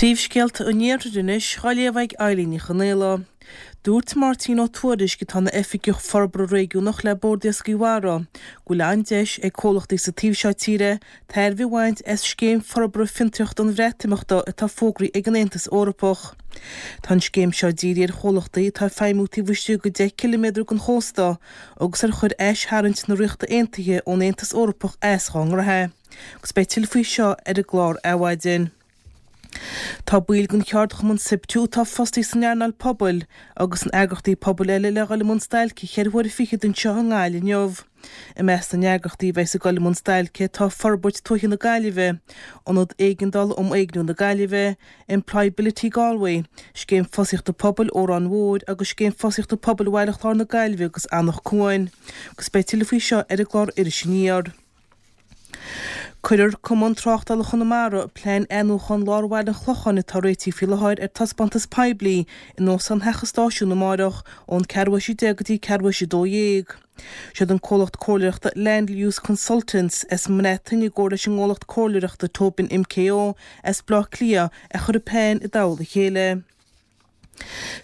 Príomhscéalta an Iarthair anois á léamh ag Eilín Ní Chonaola. Dúirt Máirtín Ó Tuairisg, atá ina Oifigeach Forbartha Réigiúnach le Bord Iascaigh Mhara, go bhfuil an-deis ag comhlachtaí sa taobh seo tíre tairbhe a bhaint as Scéim Forbartha Fiontraíochta an Bhreatimeachta atá fógraithe ag an Aontas Eorpach. Tá an scéim seo dírithe ar chomhlachtaí atá ag feidhmiú taobh istigh de 10 ciliméadar den chósta agus ar chuir aistarraingt na Ríochta Aontaithe ón Aontas Eorpach as dhá ngraithe. Agus beidh tuilleadh faoi seo ar an gclár Adhmhaidin. Tá baill den cheardchumann Siptu atá fostaithe san earnáil pobail agus in eagrachtaí pobail eile le dhul i mbun stailce cheithre huaire fichead anseo i nGaillimh inniu. I measc na n-eagrachtaí a bheas ag dul i mbun stailce tá Forbairt Tuaithe na Gaillimhe, Ionad Éigeandála um Éigniú na Gaillimhe, Employability Galway, Scéim Fostaíochta Pobail Órán Mhóir agus Scéim Fostaíochta Pobail Bhaile Chláir na Gaillimhe agus Anach Cuain. Agus beidh tuilleadh faoi seo ar an gclár Iris Aniar. Cuirfear Cumann Tráchtála Chonamara plean athnuachan lár bhaile an Chlocháin atá réitithe faoi láthair ar taispeántas poiblí in Óstán Theach an Stáisiúin amáireach ón ceathrú théis 10 go dtí ceathrú théis 12. Siad an comhlacht comhairleoireachta Land Use Consultants as an mBreatain i gcomhar leis an gcomhlacht comhairleoireachta Tobin MKO as Baile Átha Cliath a chuir an plean i dtoll a chéile.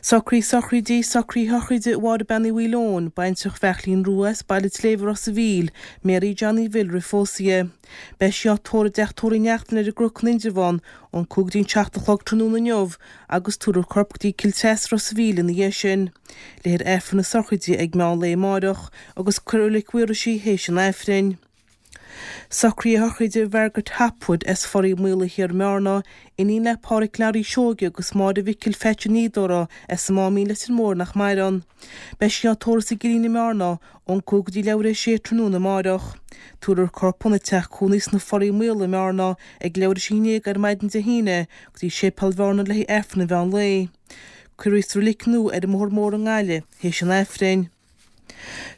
Socruithe sochraide Socruithe sochraide Mháire Bean Uí Mhaoileoin, baintreach Bheairtlín Rua as Baile an tSléibhe Ros a' Mhíl, Mary Johnny Bhill roimh phósadh di. Beidh sí á tórramh i dteach tórraimh Uí Neachtain ar an gCnoc in Indreabhán ón 5 go dtí an 7 a chlog tráthnóna inniu agus tabharfar a corp go dtí Cill Treasa Ros a' Mhíl ina dhiaidh sin. Léifear Aifreann na sochraide ag meán lae amáireach agus cuirfear i Reilig Mhaorais í théis an Aifrinn. Socruithe sochraide Mhargaret Hopwood as Foraí Maola Thiar i mBearna, iníon le Pádhraic Learaí Seoige agus Máire Mhicil Pheaits an Fhíodóra as an Máimín Leitir Móir nach maireann. Beidh sí á tórramh sa gCillín i mBearna ón 5 go dtí leathuair théis 6 tráthnóna amáireach. Tabharfar a corp óna teach cónaí sna Foraí Maola i mBearna ag leathuair théis 11 ar maidin Dé hAoine go dtí Séipéal Bhearna le haghaidh Aifreann an mheán lae. Cuirfear í sa reilig nua ar an mBóthar Mór i nGaillimh théis an Aifrinn.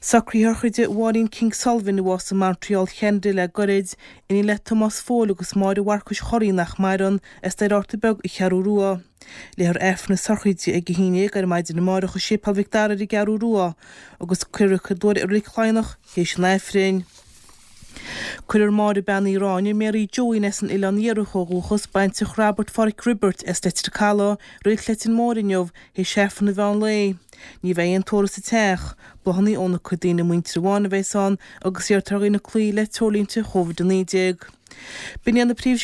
Socruithe sochraide Mháirín King Sullivan a bhásaigh i Montreal Cheanada le goirid, iníon le Tomás Phóil agus Máire Mharcais Chorraí nach maireann, as Doire Fhatharta Beag an Cheathrú Rua. Léifear Aifreann na sochraide ag 11 ar maidin amárach i Séipéal Mhic Dara ar an gCeathrú Rua agus cuirfear í chéad uair i Reilig Laighneach théis an Aifrinn. Cuirfear Máire Bean Uí Ráinne, Mary Joeín as an Oileán Iarthach ó dhúchas, baintreach Robert Pháraic Roibeairt as Leitir Calaidh, Reilig Leitir Móir inniu, théis Aifreann an mheán lae. Ní bheidh aon tórramh sa teach. Bláthanna óna cuid daoine muintire amháin a bheas ann agus iarrtar ar dhaoine cloí le treoirlínte Chóvid 19. B'in iad na príomhscéalta.